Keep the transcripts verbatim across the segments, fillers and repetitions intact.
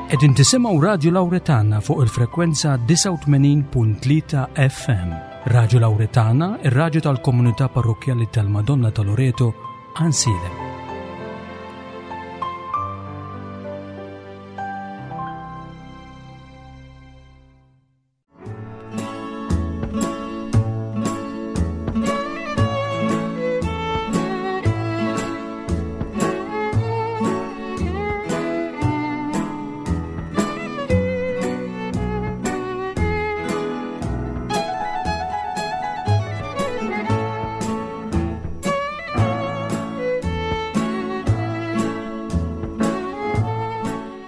Qegħdin tisimgħu Radju Lawretana fuq il-frekwenza disgħa u tmenin punt tlieta F M. Radju Lawretana, ir-radju tal-komunità parrokkjali tal-Madonna ta' Loreto, Għajnsielem.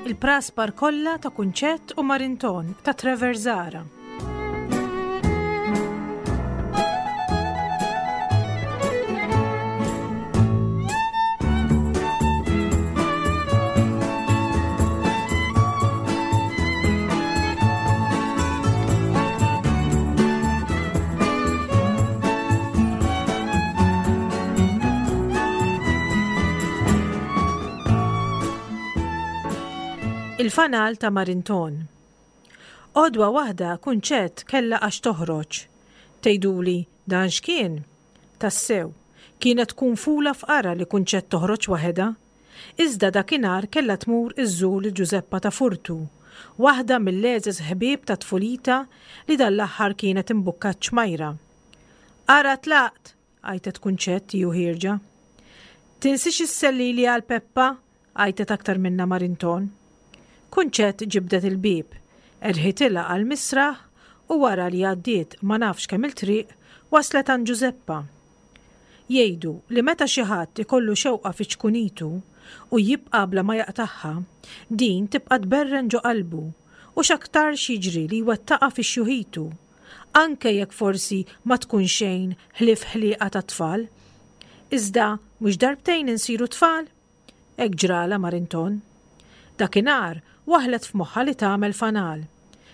Il-praspar kollha ta' Kunċett u Marinton ta' Trevor Zahra. Il-fanal ta' Marinton. Għodwa waħda Kunċett kellha għax toħroġ. Tgħiduli dan x'kien? Tassew, kienet tkun fula f'qara li Kunċett toħroġ waħedha. Iżda dakinhar kellha tmur iżżur lil Ġużeppa ta' Furtu, waħda mill-għeżież ħbieb ta' tfulita li dan l-aħħar kienet imbukkat ċmajra. Ara tlaqt, għajtet Kunċett ju ħierġa. Tinsix issellili għal Peppa, għajtet aktar minna Marinton. Kunċett ġibdet il-bieb, erħitilha għal misraħ u wara li għaddiet ma nafx kemm il-triq waslet għand Ġużeppa. Jgħidu li meta xi ħadd ikollu xewqa fi ċkunitu u jibqa' bla ma jaqtagħha, din tibqa' tberren ġo qalbu u x'aktarx jiġri li jwettaqha fi xjuħitu, anke jekk forsi ma tkun xejn ħlief ħlieqa ta' tfal. Iżda mhux darbtejn insiru tfal? Hekk ġrala Marinton. Dakinhar waħlet f'moħħha li tagħmel fanal.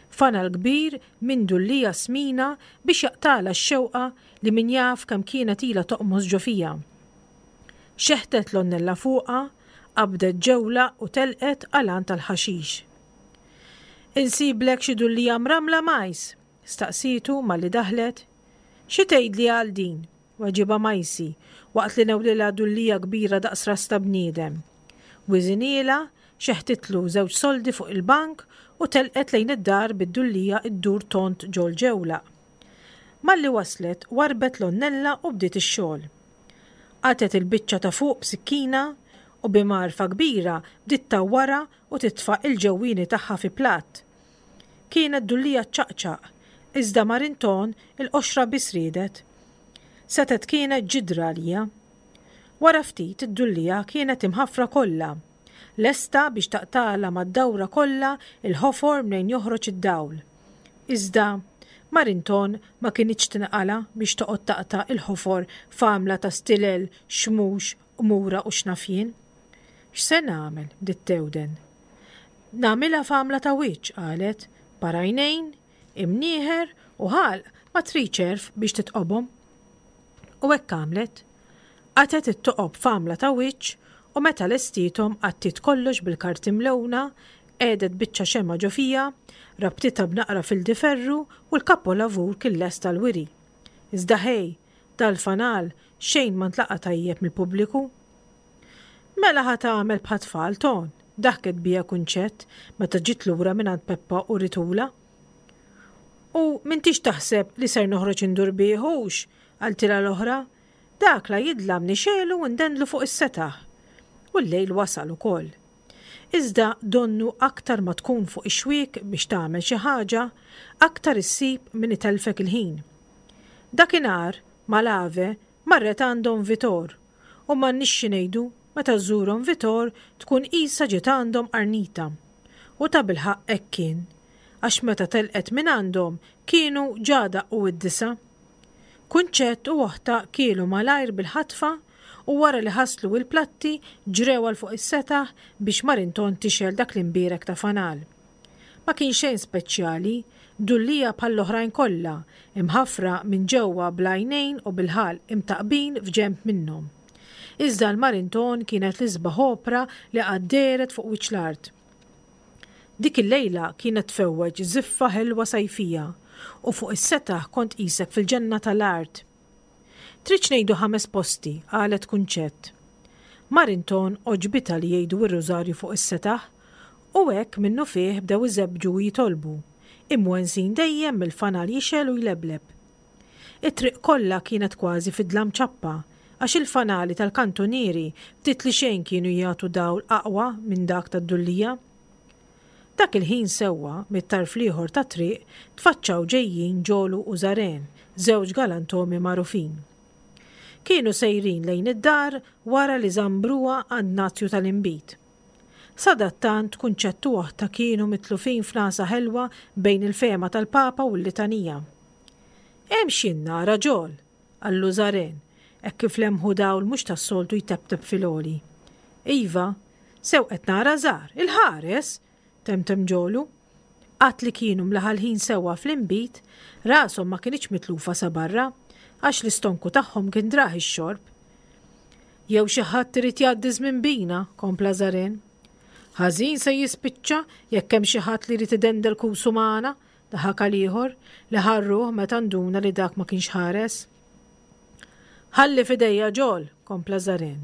Fanal kbir minn dullija smina biex jaqtala x-xewqa li min jaf kemm kienet ilha toqmos ġo fija. Xeħtet l-onnella fuqha, qabdet ġewla u telqet għal tal-ħaxix. Insiblek xi dullija mramla majs? Staqsitu malli daħlet. Xi tgħidli għal din? Weġibha Majsi waqt li newlilha dullija kbira daqs ras ta' bniedem. Wiżinielha, xeħtitlu żewġ soldi fuq il-bank u telqet lejn id-dar bid-dullija ddur tont ġol ġewla. Malli waslet, warbet l-onnella u bdiet ix-xogħol. Qatet il-biċċa ta' fuq b'sikkina u bi marfa kbira bdiet tawwara u titfa' il-ġewwieni tagħha fi platt. Kienet dullija ċaqċaq, iżda Marinton il-qoxra biss riedet. Setet kienet ġidra għalija. Wara ftit id-dullija kienet imħaffra kollha, lesta biex taqtala mad-dawra kollha il-ħofor mnejn joħroġ id-dawl. Iżda Marinton ma kinitx tinqala biex toqgħod taqta' il-ħofor f'għamla ta' stilel, xmux, qmura u xnafjien. X'se nagħmel? Bdiet tewden. Nagħmilha f'għamla ta' wiċċ, qalet, parajnejn, imnieħer u ħalq ma tridx għerf biex titqobhom. U hekk għamlet. Qatet it-toqob f'għamla ta' wiċċ u meta lestietom għattiet kollox bil-karti mlewna, qiegħdet biċċa xemgħa ġo fija, rabtitha b'naqra fil-diferru u l-kapolavur kien lest tal-wiri. Iżda ħej, dal-fanal xejn ma ntlaqa' tajjeb mill-pubbliku. Mela ħa tagħmel bħat-tfal ton, daħket bija Kunċett meta ġiet lura mingħand Peppa u Ritula. U m'intix taħseb li ser noħroġ indur bih hux, qaltilha l-oħra, dak la jidlam nixelu u ndendlu fuq is-setaħ. U l-lejl wasal ukoll. Iżda donnu aktar ma tkun fuq ix-xwiek biex tagħmel xi ħaġa, aktar issib min itelfek il-ħin. Dakinhar mal-ave marret għandhom Vitor u m'għandniex xi ngħidu meta żżurhom Vitor tkun qisha ġiet għandhom qarnita. U ta' bilħaqq hekk kien, għax meta telqet minn għandhom kienu ġa daqqu id-disa. Kunċett u oħta kielu malajr bil-ħatfa u wara li ħaslu il-platti ġrew għal fuq is-setaħ biex Marinton tixgħel dak l-imbierek ta' fanal. Ma kien xejn speċjali, dullija bħall-oħrajn kollha, imħaffra minn ġewwa bl-għajnejn u bil-ħalq imtaqbin f'ġenb minnhom. Iżda l-Marinton kienet l-isbaħ opra li qatt dehret fuq wiċċ l-art. Dik il-lejla kienet tfewweġ żiffa ħelwa sajfija u fuq is-setaħ kont qisek fil-ġenna tal-art. Tridx ngħidu ħames posti, qalet Kunċett. Marinton għoġbitha li jgħidu r-rużarju fuq is-setaħ u hekk minnufih bdew iżebbġu u jitolbu, imwensin dejjem mill-fanal jixgħel u jlebleb. It-triq kollha kienet kważi fi dlam ċappa għax il-fanali tal-kantunieri ftit li xejn kienu jagħtu dawl aqwa minn dak tad-dullija. Dak il-ħin sewwa, mit-tarf l-ieħor tat-triq, tfaċċaw ġejjin Ġolu u Żaren, żewġ galantomi magħrufin. Kienu sejrin lejn id-dar wara li żambruha għand Nazju tal-inbid. Sadattant Kunċett u oħtha kienu mitlufin f'nagħsa ħelwa bejn il-fehma tal-Papa u l-litanija. Hemm x'jien nara, Ġol! qallu Żaren, hekk kif lemħu dawl mhux tas-soltu jteptep fil-għoli. Iva, sew qed nara Żar, il-ħares! temtem Ġolu. Għad li kienu mlaħalħin sewwa fl-inbid, rashom ma kinitx mitlufa sa barra, għax l-istonku tagħhom kien drah ix-xorb. Jew xi ħadd irid jgħaddi żmien bina, kompla Żaren. Ħażin se jispiċċa jekk hemm xi ħadd li jrid idendel kusu magħna, daħak għal ieħor li ħarruh meta nduna li dak ma kienx ħares. Ħalli f'idejja Ġol, kompla Żaren.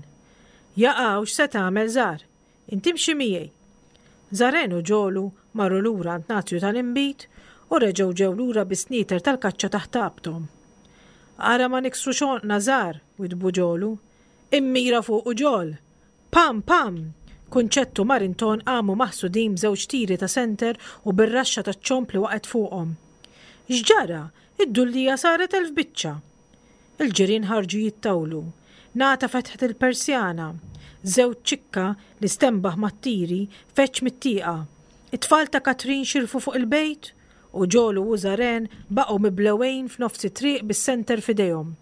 Jaqaw x'se tagħmel Żar? Inti imxi miegħi. Żaren u Ġolu marru lura għand Nazju tal-inbid u reġgħu ġew lura bis-snieter tal-kaċċa taħt għabthom. Ara ma niksrux għonqna Żar, widdbu Ġolu. Immira fuqu Ġol! Pam, pam! Kunċett u Marinton qamu maħsudin b'żewġ tiri ta' senter u bir-raxxa taċ-ċomb li waqgħet fuqhom. X'ġara? Id-dullija saret elf biċċa! Il-ġirien ħarġu jittawlu. Nata fetħet il-persjana. Żewġ ċikka li stenbaħ mat-tiri feġġ mit-tieqa. It-tfal ta' Katrin xirfu fuq il-bejt u Ġolu u Żaren baqgħu miblewgħin f'nofs it-triq bis-senter f'idejhom.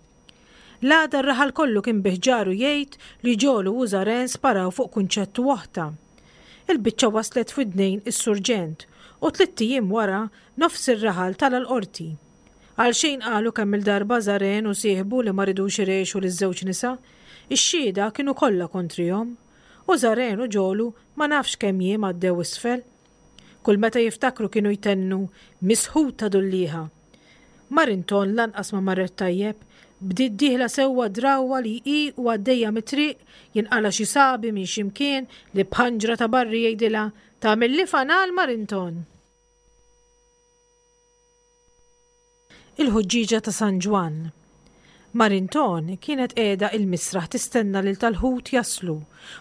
L-għada r-raħal kollu kien bi ħġaru jgħid li Ġolu u Żaren sparaw fuq Kunċett u oħtha. Il-biċċa waslet f'widnejn is-surġent u tlitt ijiem wara nofs ir-raħal tala' l-qorti. Għalxejn qalu kemm-il darba Żaren u sieħbu li ma ridux irgħixu liż-żewġ nisa, ix-xhieda kienu kollha kontrihom. U Żaren u Ġolu ma nafx kemm jiem għaddew isfel. Kull meta jiftakru kienu jtennu, Misħuta dullieħa! Marinton lanqas ma marret tajjeb, bdiet dieħla sewwa drawwa li hi u għaddejja mit-triq jinqala' xi sabi minn xi mkien li b'ħanġra ta' barri jgħidilha, Tagħmilli fanal Marinton! Il-ħuġġieġa ta' San Ġwann. Marinton kienet qiegħda il-misraħ tistenna lil tal-ħut jaslu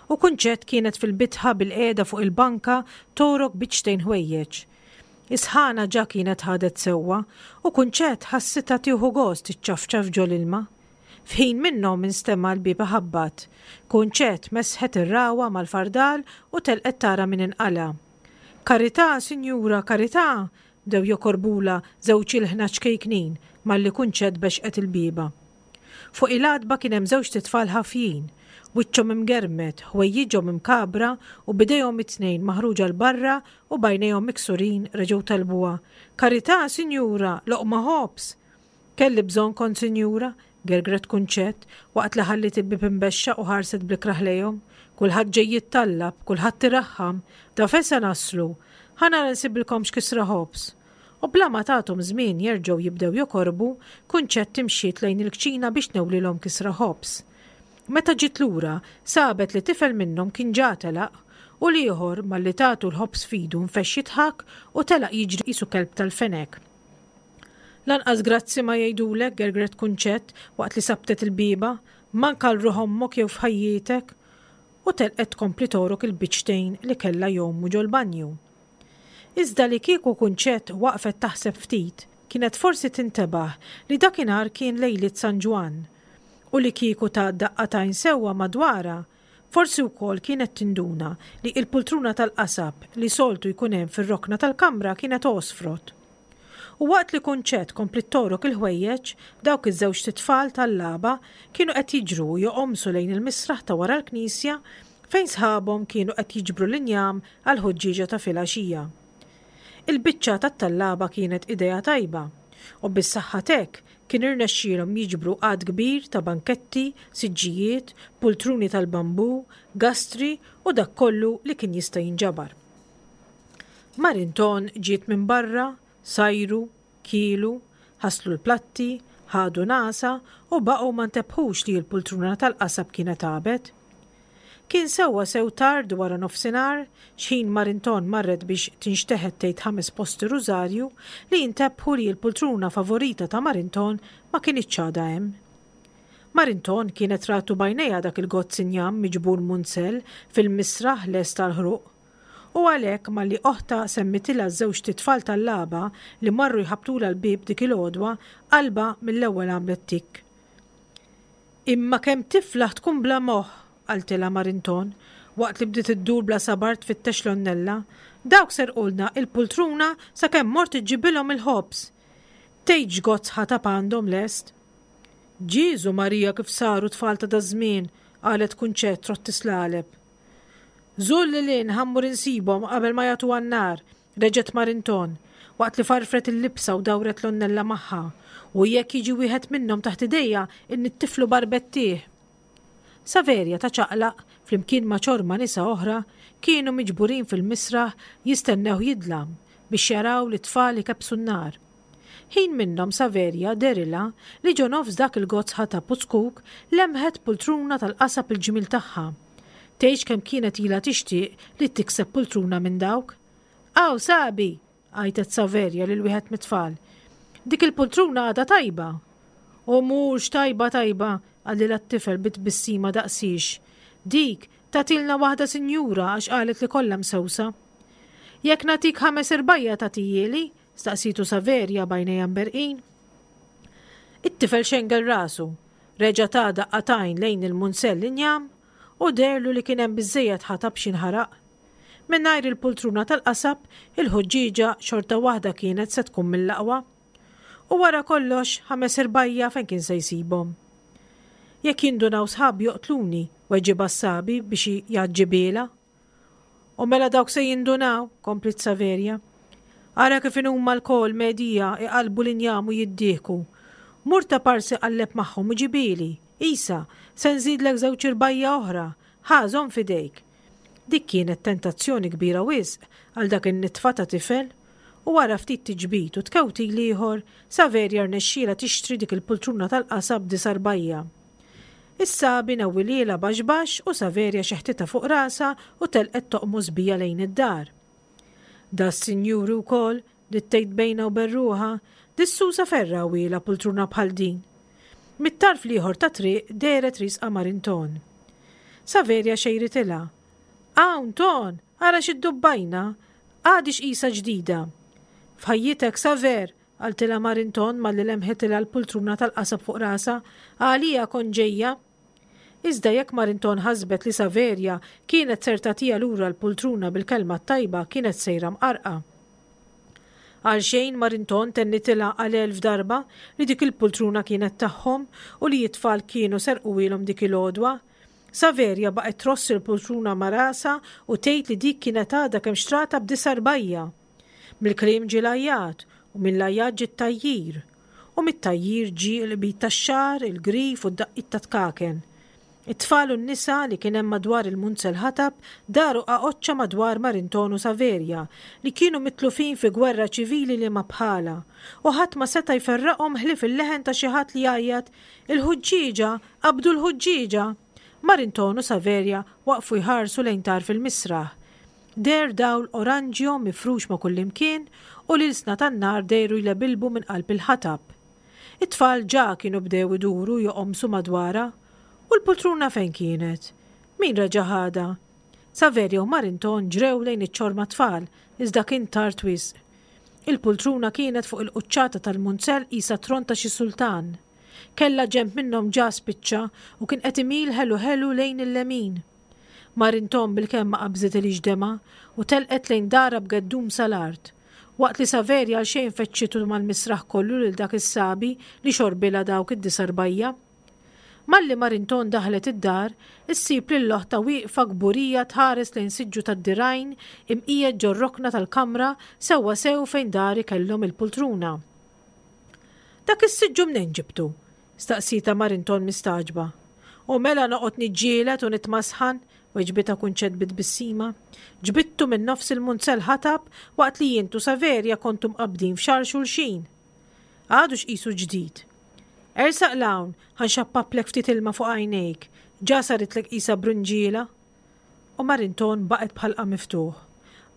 u Kunċett kienet fil-bitħa bilqiegħda fuq il-banka togħrok biċċtejn ħwejjeġ. Is-sħana ġa kienet ħadet sewwa u Kunċett ħassitha tieħu gost iċċafċaf ġol-ilma. F'ħin minnhom instema' l-bieb iħabbat. Kunċett mesħet ir-ragħwa mal-fardal u telqet tara min inqala'. Karità, sinjura, karità! Bdew jokorbulha żewġ ilħna ċkejknin malli Kunċett bexqet il-bieba. Fuq il-għatba kien hemm żewġt itfal ħafjin, wiċċhom imgermed, ħwejjiġhom imkagħbra u b'idejhom it-tnejn maħruġa 'l barra u b'għajnejhom miksurin reġgħu talbuha, Karità, sinjura, loqma ħobż! Kelli bżonn kont sinjura, gergret Kunċett, waqt li ħalliet il-bieb imbexxaq u ħarset bl-ikrah lejhom. Kulħadd ġej jittallab, kulħadd iraħħam, da fejn se naslu? Ħa nara nsibilkom x'kisra ħobż. U bla ma tathom żmien jerġgħu jibdew jokorbu, Kunċett imxiet lejn il-kċina biex tnewlilhom kisra ħobż. Meta ġiet lura, sabet li tifel minnhom kien ġa telaq u l-ieħor malli tatu l-ħobż f'idu nfexx jidħak u telaq jiġri qisu kelb tal-fenek. Lanqas grazzi ma jgħidulek, gergret Kunċett waqt li sabtet il-bieba, manka għal ruħ ommok jew f'ħajjietek. U telqet tkompli togħrok il-biċċtejn li kellha jgħumu ġol-banju. Iżda li kieku Kunċett waqfet taħseb ftit, kienet forsi tintebaħ li dakinhar kien lejliet San Ġwann. U li kieku tat daqqa t'għajn sewwa madwarha, forsi wkoll kienet tinduna li l-pultruna tal-qasab li soltu jkun hemm fir-rokna tal-kamra kienet għosfrot. U waqt li Kunċett kompliet togħrok il-ħwejjeġ, dawk iż-żewġt itfal tallaba kienu qed jiġru u joqomsu lejn il-misraħ ta' wara l-knisja fejn sħabhom kienu qed jiġbru l-injam għall-ħuġġieġa ta' filgħaxija. Il-biċċa tat-tallaba kienet idea tajba u bis-saħħa t'hekk kien irnexxielhom jiġbru għadd kbir ta' banketti, siġġijiet, pultruni tal-bambù, gastri u dak kollu li kien jista' jinġabar. Marinton ġiet minn barra, sajru, kielu, ħaslu l-platti, ħadu nagħsa u baqgħu ma ntebħux li l-pultruna tal-qasab kienet għabet. Kien sewwa sew tard wara nofsinhar, x'ħin Marinton marret biex tinxteħet tgħid ħames posti rużarju, li intebħu li l-pultruna favorita ta' Marinton ma kinitx għadha hemm. Marinton kienet ratu b'għajnejha dak il-gozz injam miġbur munzell fil-misraħ lest għall-ħruq. U għalhekk malli oħtha semmitilha ż-żewġt itfal tal-lagħba li marru jħabbtulha l-bieb dik il-għodwa, qalbha mill-ewwel għamlet tikk. Imma kemm tiflaħ tkun bla moħħ, qaltilha Marinton, waqt li bdiet iddur bla sabar tfittex l-għonnella, dawk serqulna il-pultruna sakemm mort iġġibilhom il-ħobż. Tgħidx x'gozz ħatab għandhom lest. Ġieżu Marija kif saru tfal ta' daż-żmien, qalet Kunċett trott islaleb. Żul lil hinn ħa mmur insibhom qabel ma jagħtuha n-nar, reġgħet Marinton, waqt li farfret il-libsa u dawret l-għonnella magħha, u jekk jiġi wieħed minnhom taħt idejja innittiflu barbettih. Saverja ta' ċaqlaq, flimkien ma' ċorma nisa oħra, kienu miġburin fil-misraħ jistennew jidlam biex jaraw lit-tfal ikebbsu n-nar. Ħin minnhom Saverja dehrilha li ġo nofs dak il-gozz ħatab u zkuk lemħet pultruna tal-qasab il-ġmiel tagħha. Tgħidx kemm kienet ilha tixtieq li tikseb pultruna minn dawk. Aw, Sabi! għajtet Saverja lil wieħed mit-tfal. Dik il-pultruna għadha tajba. U mhux tajba tajba, qalilha t-tifel bi tbissima daqsiex. Dik tatilna waħda sinjura għax qalet li kollha msewsa. Jekk nagħtik ħames irbajja tagħtihieli? Staqsitu Saverja b'għajnejha mberrqin. It-tifel xengel rasu, reġa' ta daqqa t'għajn lejn il-munzell injam u deherlu li kien hemm biżżejjed ħatab x'jinħaraq. Mingħajr il-pultruna tal-qasab, il-ħuġġieġa xorta waħda kienet se tkun mill-aqwa. U wara kollox, ħames irbajja fejn kien se jsibhom? Jekk jindunaw sħabi joqtluni, weġibha s-Sabi biex jgħaġġibilha. U mela dawk se jindunaw, kompliet Saverja. Ara kif inhuma lkoll medija iqallbu l-injam u jiddieħku. Mur ta' parsi qalleb magħhom u ġibieli. Isa, se nżidlek żewġ irbajja oħra. Ħa, żomm f'idejk. Dik kienet tentazzjoni kbira wisq għal dak in-nitfa ta' tifel. U wara ftit tiġbid u tkewtil ieħor, Saverja rnexxielha tixtri dik il-pultruna tal-qasab disa' rbajja. Is-Sabi newwilielha baxx baxx u Saverja xeħtitha fuq rasha u telqet toqmos bija lejn id-dar. Da s-sinjuri wkoll, bdiet tgħid bejnha u bejn ruħha, dis-susa ferra wiela pultruna bħal din. Mit-tarf l-ieħor tat-triq dehret riesqa Marinton. Saverja xejritilha. Hawn, Ton, ara xi ddubbajna, għadix qisha ġdida. F'ħajjitek, Saver, qaltilha Marinton malli lemħitilha l-pultruna tal-qasab fuq rasha, għalija kont ġejja. Iżda jekk Marinton ħasbet li Saverja kienet ser tagħtiha lura l-pultruna bil-kelma t-tajba kienet sejra mqarrqa. Għalxejn Marinton tennitilha għal elf darba li dik il-pultruna kienet tagħhom u li t-tfal kienu serquhielhom dik il-għodwa. Saverja baqgħet tross il-pultruna ma' rasha u tgħid li dik kienet għadha kemm xtratha b'disa' rbajja. Mill-kliem ġie l-għajjat u mill-għajjat ġie t-tgħajjir. U mit-tgħajjir ġie l-qbid tax-xagħar, il-grif u d-daqqiet ta' tkaken. It-tfal u n-nisa li kien hemm madwar il-munzel ħatab daru qaqoċċa madwar Marinton u Saverja li kienu mitlufin fi gwerra ċivili li ma bħalha u ħadd ma seta' jferraqhom ħlief il-leħen ta' xi ħadd li jgħajjat il-ħuġġieġa, qabdu l-ħuġġieġa! Marinton u Saverja waqfu jħarsu lejn tarf il-misraħ. Deher dawl oranġjo mifrux ma' kullimkien u l-ilsna tan-nar dehru jlebilbu minn qalb il-ħatab. It-tfal ġa kienu bdew iduru joqomsu madwarha. U l-pultruna fejn kienet? Min reġa' ħadha? Saverja u Marinton ġrew lejn iċ-ċorma tfal, iżda kien tard wisq. Il-pultruna kienet fuq il-quċċata tal-munzell qisha tron ta' xi sultan. Kellha ġenb minnhom ġa spiċċa u kien qed imil ħelu ħelu lejn il-lemin. Marinton bilkemm ma qabżitilhiex demgħa u telqet lejn darha b'geddum sal-art, waqt li Saverja għalxejn feċċitu mal-misraħ kollu lil dak is-sabi li xorbilha dawk id-disa' rbajja. Malli Marinton daħlet id-dar, issib lil oħtha wieqfa kburija tħares lejn siġġu tad-dirgħajn imqiegħed ġor-rokna tal-kamra sewwa sew fejn dari kellhom il-pultruna. Dak is-siġġu mnejn ġibtu? staqsietha Marinton mistagħġba. U mela noqgħod niġġieled u nitmasħan, Weġbitha Kunċett bi tbissima. Ġbidtu minn nofs il-munzell ħatab waqt li jien u Saverja kontu mqabbdin f'xagħar xulxin. Għadu x'qisu ġdid. Ersaq 'l hawn, ħa nxappaplek ftit ilma fuq għajnejk, ġa saritlek qisha brunġiela. U Marinton baqgħet b'ħalqha miftuħ.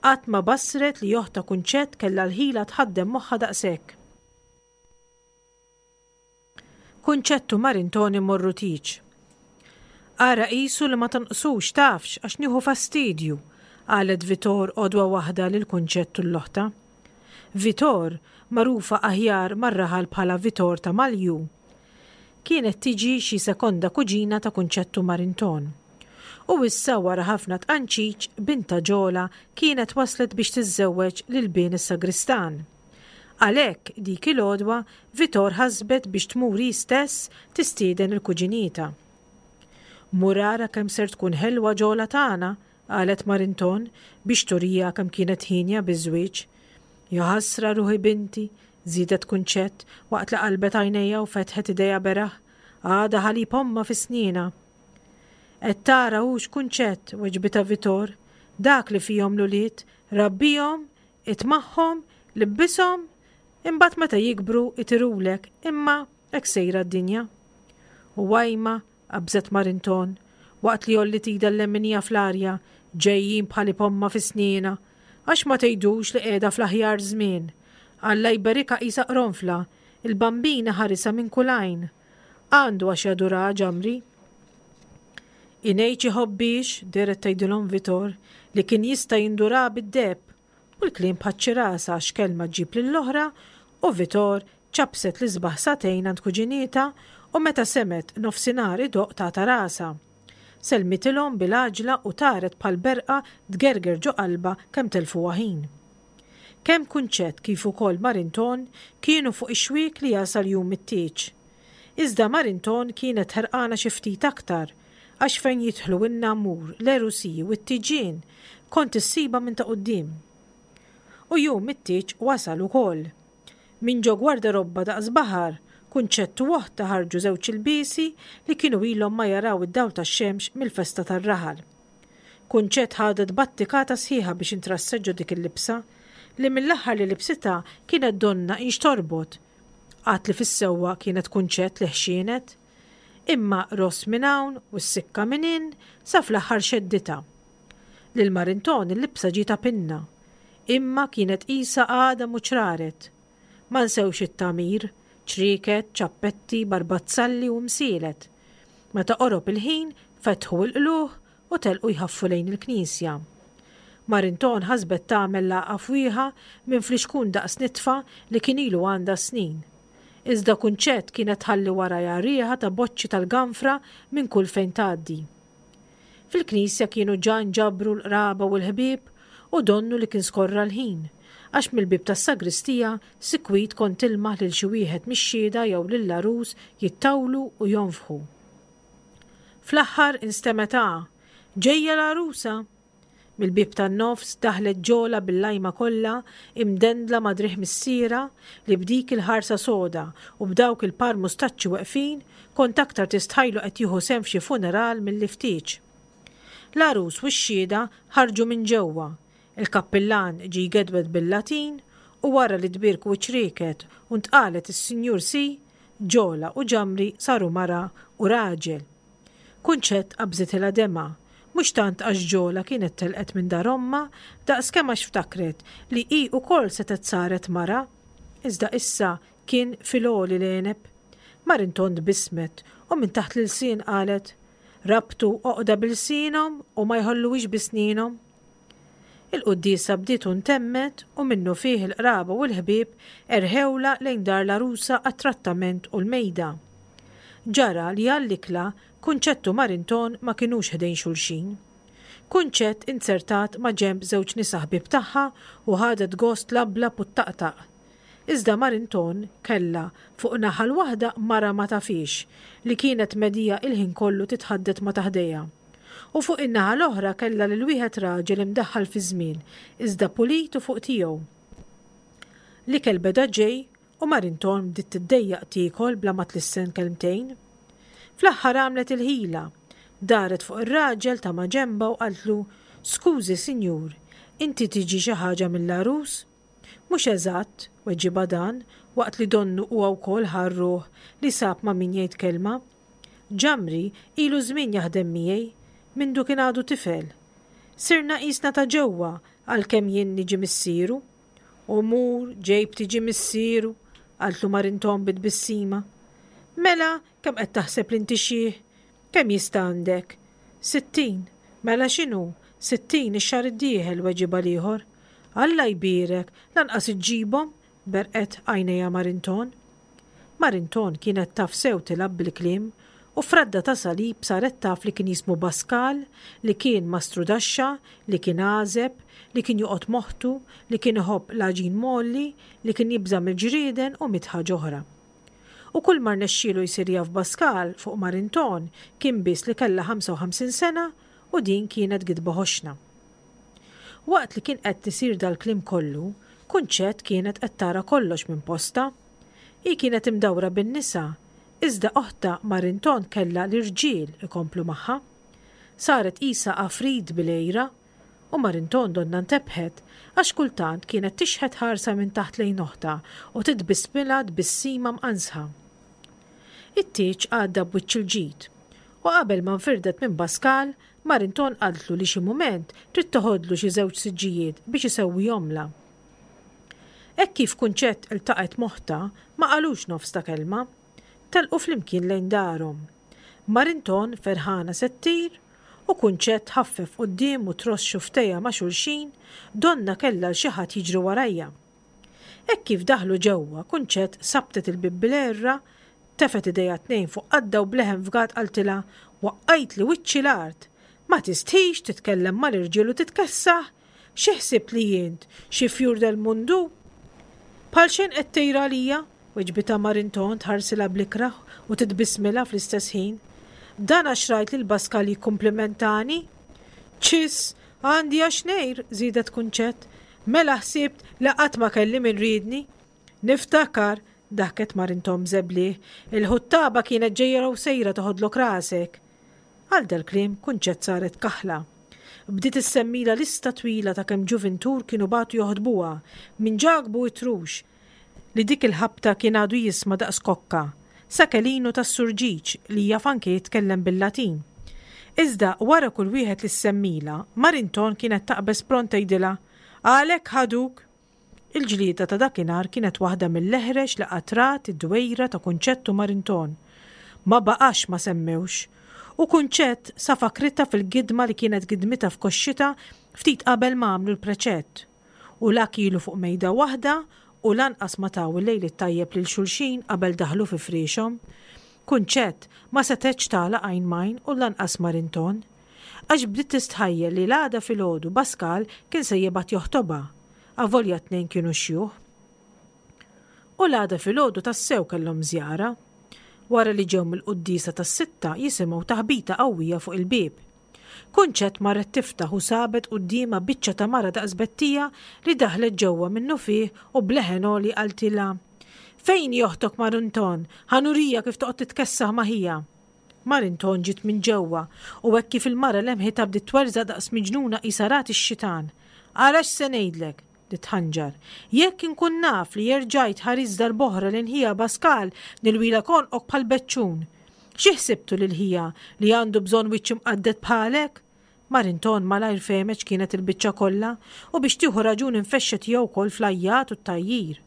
Qatt ma basret li oħtha Kunċett kellha l-ħila tħaddem moħħha daqshekk. Kunċett u Marinton imorru tieġ. Ara qisu li ma tonqsux tafx għax nieħu fastidju, qalet Vitor għodwa waħda lil Kunċett u l-oħta. Vitor, magħrufa aħjar mar-raħal bħala Vitor ta' Malju, kienet tiġi xi sekonda kuġina ta' Kunċett u Marinton. U issa wara ħafna tqanċiċ, bintha Ġola kienet waslet biex tiżżewweġ lil bin is-sagristan. Għalhekk dik il-għodwa Vitor ħasbet biex tmur hi stess tistieden il-kuġinietha. Mur ara kemm ser tkun ħelwa Ġola tagħna, qalet Marinton biex turija kemm kienet ħienja biż-żwieġ. Jaħasra ruħi binti, żiedet Kunċett waqt li qalbet għajnejha u fetħet idejha beraħ, għadha ħalib ommha fi snienha. Qed tara hux Kunċett, weġbitha Vitor, dak li fihom l-ulied, rabbihom, itmagħhom, libbishom, imbagħad meta jikbru itirulek, imma hekk sejra d-dinja. U għajma, qabżet Marinton, waqt li għolliet idha l-leminija fl-arja, ġejjin bħalib ommha fi snienha, għax ma tgħidux li qiegħda fl-aħjar żmien. Alla jberikha qisha qronfla, il-Bambin iħarisha minn kull għajn. Għandu għax jaduraha Ġamri. Ingħid iħobbhiex, dehret tgħidilhom Vitor, li kien jista' jinduraha bid-deheb, u l-kliem bħaċ-ċirasa għax kelma ġġib lill-oħra u Vitor ċapset l-isbaħ sagħtejn għand kuġinietha u meta semgħet nofsinhar idoqq tatha rasha. Sellmitilhom bil-għaġla u taret bħal berqa tgerger ġo qalbha kemm telfuha ħin. Kemm Kunċett kif ukoll Marinton kienu fuq ix-xwiek li jasal jum it-tieġ. Iżda Marinton kienet ħerqana xi ftit aktar għax fejn jidħlu n-namur, l-għerusiji u t-tiġien kont issibha minn ta' quddiem. U jum it-tieġ wasal ukoll. Minn ġo gwardarobba daqs baħar, Kunċett u oħtha ħarġu żewġ ilbiesi li kienu ilhom ma jaraw id-dawl tax-xemx mill-festa tar-raħal. Kunċett ħadet battikata sħiħa biex intrasset ġo dik il-libsa, li mill-aħħar li libsitha kienet donnha inxtorbot. Għad li fis-sewwa kienet Kunċett li ħxienet. Imma ross minn hawn u s-sikka minn hinn sa fl-aħħar xedditha. Lil Marinton il-libsa ġietha pinna. Imma kienet qisha għadha mhu ċraret. Ma nsewx it-tagħmir, ċrieket, ċappetti, barbazzalli u msielet. Meta qorob il-ħin, fetħu l-qlugħ u telqu jħaffu lejn il-knisja. Marinton ħasbet tagħmel lagħqa fwieħa minn flixkun daqs nitfa li kien ilu għandha snin. Iżda Kunċett kienet tħalli warajha riħa ta' boċċi tal-ganfra minn kull fejn tgħaddi. Fil-knisja kienu ġa nġabru l-qraba u l-ħbieb u donnu li kien skorra l-ħin, għax mill-bieb tas-sagristija sikwit kont tilmaħ lil xi wieħed mix-xhieda jew lill-għarus jittawlu u jonfħu. Fl-aħħar instemgħet A, Ġejja l-għarusa! Mill-bieb tan-nofs daħlet Ġola bil-lajma kollha imdendla ma' driegħ missierha li b'dik il-ħarsa soda u b'dawk il-par mustaċċi weqfin kont aktar tistħajlu qed jieħu sehem f'xi funeral milli f'tieġ. L-għarus u x-xhieda ħarġu minn ġewwa. Il-kappillan ġie jgedwed bil-Latin u wara li tbierku ċ-ċrieket u ntqalet is-Sinjur Si, Ġola u Ġamri saru mara u raġel. Kunċett qabżitilha demgħa, mhux tant għax Ġola kienet telqet minn dar ommha daqskemm għax ftakret li hi wkoll setgħet saret mara. Iżda issa kien fil-għoli l-għeneb. Marinton tbissmet u minn taħt l-ilsien qalet, Rabtu għoqda b'ilsienhom u ma jħolluhiex bi snienhom. Il-quddiesa bdiet u ntemmet u minnufih il-qraba u l-ħbieb erħewlha lejn dar l-għarusa għat-trattament u l-mejda. Ġara li għall-ikla Kunċett u Marinton ma kinux ħdejn xulxin. Kunċett inzertat ma' ġenb żewġ nisa ħbieb tagħha u ħadet gost tlablab u ttaqtaq. Iżda Marinton kellha fuq naħa l-waħda mara ma tafhiex li kienet medhija il-ħin kollu titħaddet ma' ta' ħdejha. U fuq in-naħa l-oħra kellha lil wieħed raġel imdaħħal fiż-żmien iżda pulit u fuq tiegħu. L-ikel beda ġej u Marinton bdiet tiddejjaq tiekol bla ma tlissen kelmtejn. Fl-aħħar għamlet il-ħila. Daret fuq ir-raġel ta' maġenbha u qaltlu, Skużi, sinjur, inti tiġi xi ħaġa mill-għarus? Mhux eżatt, weġibha dan, waqt li donnu huwa wkoll ħa r-ruħ li sab ma' min jgħid kelma. Ġamri ilu żmien jaħdem miegħi, mindu kien għadu tifel. Sirna qisna ta' ġewwa għalkemm jien niġi missieru. U mur ġejb tiġi missieru, qaltlu Marinton bi tbissima. Mela, kemm qed taħseb li inti xiħ? Kemm jista' għandek? Sittin. Mela x'inhu? Sittin ix-xahar id-dieħel, weġibha l-ieħor. Alla jbierek, lanqas iġġibhom, berqet għajnejha Marinton. Marinton kienet taf sew tilgħab bil-kliem u f'radda ta' salib saret taf li kien jismu Baskal, li kien mastrudaxxa, li kien għażeb, li kien joqgħod moħħtu, li kien iħobb l-għaġin mgħolli, li kien jibża' mill-ġrieden u mitt ħaġa oħra. U kull ma rnexxielu jsir jaf Baskal fuq Marinton kien biss li kellha ħamsa u ħamsin sena u din kienet gidba ħoxna. Waqt li kien qed isir dal-kliem kollu, Kunċett kienet qed tara kollox minn postha. Hi kienet imdawra bin-nisa, iżda oħtha Marinton kellha l-irġiel ikomplu magħha. Saret qisha għafrid bil-għira, u Marinton donnha ntebħet għax kultant kienet tixħet ħarsa minn taħt lejn oħtha u titbissmilha tbissima mqanżħa. It-tieġ għadda b'wiċċ il-ġid, u qabel ma nfirdet minn Baskal, Marinton qaltlu li xi mument trid toħodlu xi żewġ siġġijiet biex isewwihomlha. Hekk kif Kunċett iltaqgħet m'oħtha, ma qalux nofs ta' kelma. Telqu flimkien lejn darhom. Marinton ferħana se ttir u Kunċett ħaffef quddiem u tross xufftejha ma' xulxin, donnha kellha 'l xi ħadd jiġri warajha. Hekk kif daħlu ġewwa, Kunċett sabtet il-bieb bil-għerra, tefgħet idejha t-tnejn fuq qaddha u b'leħen fgat qaltilha, Waqqajtli wiċċi l-art! Ma tistħix titkellem mal-irġiel u titkessaħ? Xi ħsibt li int, xi fjur del mundu? Bħal xejn qed tgħir għalija, weġbitha Marinton tħarsilha bl-ikrah u titbissmilha fl-istess ħin. Dan għax rajt lil Baskal jikkumplimentani? Ċiss, għandi għax ngħir, żiedet Kunċett. Mela ħsibt li qatt ma kelli min riedni? Niftakar, daħket Marinton b'żeblieh, il-ħuttaba kienet ġejja u sejra toħodlok rasek. Għal dal-kliem Kunċett saret kaħla. Bdiet issemmilha lista twila ta' kemm ġuvintur kienu bagħtu joħdbuha, minn Ġakbu it-Trux, li dik il-ħabta kien għadu jisma' daqs kokka, sa Kelinu tas-Surġiġ li jaf anke jitkellem bil-Latin. Iżda wara kull wieħed li ssemmilha, Marinton kienet taqbeż pront tgħidilha, Għalhekk ħaduk! Il-ġlieda ta' dakinhar kienet waħda mill-eħrex li qatt rat id-dwejra ta' Kunċett u Marinton. Ma baqax ma semmewx. U Kunċett sa fakritha fil-gidma li kienet gidmitha f'koxxitha ftit qabel ma għamlu l-preċett. U la kielu fuq mejda waħda u lanqas ma taw il-lejl it-tajjeb lil xulxin qabel daħlu fi friexhom. Kunċett ma setgħetx tagħlaq għajn m'għajn u lanqas Marinton. Għax bdiet tistħajjel li l-għada filgħodu Baskal kien se jibgħat joħtobha, avolja t-tnejn kienu xjuħ. U l-għada filgħodu tassew kellhom żjara. Wara li ġew mill-quddiesa tas-sitta jisimgħu taħbita qawwija fuq il-bieb. Kunċett marret tiftaħ u sabet quddiemha biċċa ta' mara daqs Bettija li daħlet ġewwa minnufih u b'leħen għoli qaltilha, Fejn hi oħtok Marinton? Ħa nurija kif toqgħod titkessaħ ma' ħija. Marinton ġiet minn ġewwa u hekk kif il-mara lemħitha bdiet twerżaq daqs miġnuna qisha rat ix-xitan. Ara x'se ngħidlek! Bdiet tħanġar. Jekk inkun naf li erġajt ħarist darb'oħra lejn ħija Baskal nilwilek għonqok bħal beċċun. Xi ħsibtu lil ħija li għandu bżonn wiċċ imqadded bħalek? Marinton malajr fehmet x'kienet il-biċċa kollha u biex tieħu raġun infexxet hija wkoll fl-għajjat u t-tgħajjir.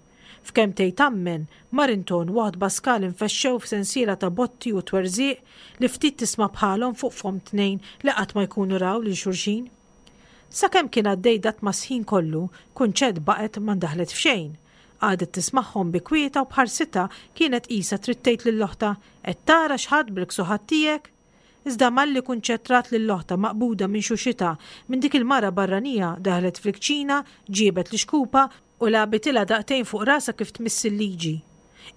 F'kemm tgħid ammen, Marinton u oħt Baskal infexxew f'sensiela ta' botti u twerżiq li ftit tisma' bħalhom fuq fomm tnejn li qatt ma jkunu raw lil xulxin. Sakemm kien għaddej dat-tmasħin kollu, Kunċett baqgħet ma ndaħlet f'xejn. Qagħdet tismagħhom bi kwieta u b'ħarsitha kienet qisha trid tgħid lil oħtha, Qed tara x'ħadt bil-ksuħat tiegħek? Iżda malli Kunċett rat lil oħtha maqbuda minn xuxitha minn dik il-mara barranija daħlet fil-kċina, ġiebet l-ixkupa u lagħbitilha daqtejn fuq rasha kif tmiss il-liġi.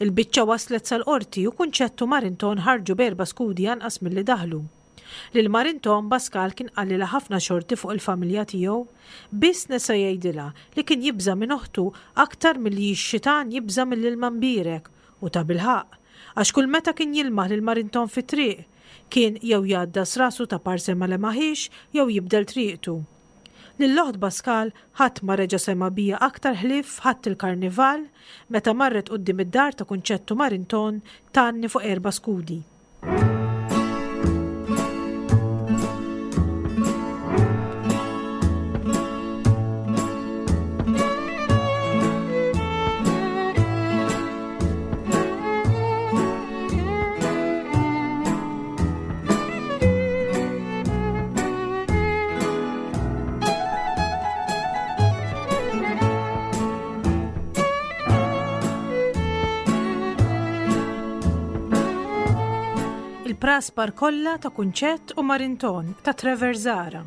Il-biċċa waslet sal-qorti u Kunċett u Marinton ħarġu b'erba' skudi anqas milli daħlu. Lil Marinton Baskal kien qalilha ħafna xorti fuq il-familja tiegħu. Biss nesa jgħidilha li kien jibża' minn oħtu aktar milli x-xitan jibża' mill-ilma mbierek. U tabilħaqq, għax kull meta kien jilmaħ lil Marinton fit-triq, Kien jew jgħaddas rasu ta' parse ma lemaħiex jew jibdel triqtu. Lill-oħt Baskal ħadd ma reġa' sema' biha aktar ħlief f'Ħadd il-Karnival meta marret quddiem id-dar ta' Kunċettu Marinton tgħanni fuq erba' skudi. Il-Praspar kollha ta' Kunċett u Marinton ta' Trevor Zahra.